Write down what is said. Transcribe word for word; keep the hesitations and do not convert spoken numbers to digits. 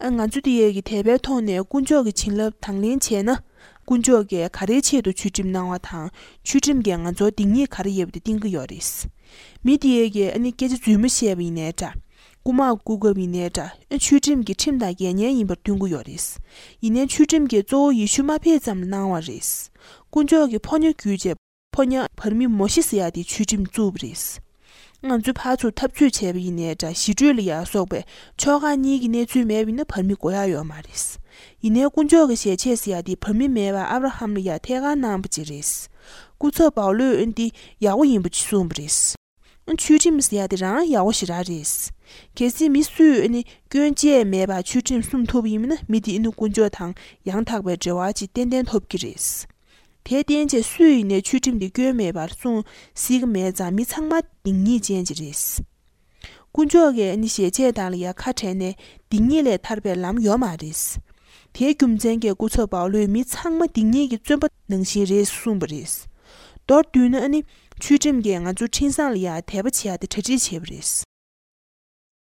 ཨ། ང་ཚོ་འདི་ཡས་ཀྱི་དད་པའི་ཐོག་ནས་དཀོན་མཆོག་གི་བྱིན་རླབས་དང་ལེན་བྱས་ན། དཀོན་མཆོག་གིས་ག་རེའི་ཆེད་དུ་ཆོས་ཁྲིམས་གནང་བ་དང་། ཆོས་ཁྲིམས་ཀྱིས་ང་ཚོར་སྡིག་ཉེས་ག་རེ་ཡོད་པ་དེ་བསྟན་གྱི་ཡོད་རེད། མི་དེ་ཡས་ཀྱིས་ཨ་ནི་སྐད་ཆ་རྫུན་མ་བཤད་པ་ཡིན་ནའི་འདྲ། རྐུ་མ་རྐུ་སྐབས་ཡིན་ནའི་འདྲ། ཨ། ཆོས་ཁྲིམས་ཀྱི་ཁྲིམས་དང་འགལ་ཉེན་ཡིན་པར་སྟོན་གྱི་ཡོད་རེད། ཡིན་ནའི་ཆོས་ཁྲིམས་ཀྱིས་གཙོ་བོ་ཡེ་ཤུ་མ་ཕེབས་ཙམ་གནང་བ་རེད། དཀོན་མཆོག་གིས་ཕོ་ཉ་བརྒྱུད་བྱས། ཕོ་ཉ་བར་མི་མོ་ཤེ་ཟེར་ཡ་དེ་ཆོས་ཁྲིམས་བཙུགས་པ་རེད། ང་ཚོས་ཕར་ཚུར་འཐབ་རྩོད་བྱས་པ་ཡིན་ནའི་འདྲ། ཞི་གྲོས་ལ་ཡར་སོགས་པའི་ཕྱོགས་ཁག་གཉིས་ཀྱི་གནས་ཚུལ་མེད་པ་ཡིན་ན་བར་མི་དགོས་ཡ་ཡོད་མ་རེད། ཡིན་ནའི་དཀོན་མཆོག་གི་ཞལ་ཆད་ཟེར་ཡ་དེ་བར་མི་མེད་པར་ཨབ་ར་ཧམ་ལ་ཡར་ཐད་ཀར་གནང་པ་ཅིག་རེད། སྐུ་ཚབ་པའུ་ལོས་ཨ་ནི་འདི་ཡག་པོ་ཡིན་པ་ཅིག་གསུངས་པ་རེད། ཨ། ཆོས་ཁྲིམས་ཟེར་ཡ་དེ་རང་ཡག་པོ་ཞེ་དྲག་རེད། གལ་སྲིད་མི་སུས་ཨ་ནི་སྐྱོན་བཅས་མེད་པར་ཆོས་ཁྲིམས་སྲུང་ཐུབ་པ་ཡིན་ན། མི་དེ་ཨ་ནི་དཀོན་མཆོག་དང་ཡང་དག་པའི་འབྲེལ་བ་ཅིག་ཏན་ཏན་ཐོབ་ཀྱི་རེད། དེར་བརྟེན་བྱས་སུ་ཡིན་ནའི་ཆོས་ཁྲིམས་དེ་སྐྱོན་མེད་པར་སྲུང་སྲིད་ཀྱི་མེད་ཙང་། མི་ཚང་མ་སྡིག་ཉེས་ཅན་ཅིག་རེད། དཀོན་མཆོག་གིས་ཨ་ནི་ཞལ་ཆད་དག་ལ་ཡ་ཁ་བྲལ་ནས་སྡིག་ཉེས་ལས་ཐར་པའི་ལམ་ཡོད་མ་རེད། དེའི་རྒྱུ་མཚན་གྱིས་སྐུ་ཚབ་པའུ་ལོས་མི་ཚང་མ་སྡིག་ཉེས་ཀྱི་བཙོན་པ་ནང་བཞིན་རེད་གསུངས་པ་རེད། མདོར་བསྡུས་ན་ཨ་ནི་ཆོས་ཁྲིམས་ཀྱིས་ང་ཚོ་འཕྲིན་བཟང་ལ་ཡ་དད་པ་བྱེད་ཡ་དེ་གྲ་སྒྲིག་བྱས་པ་རེད།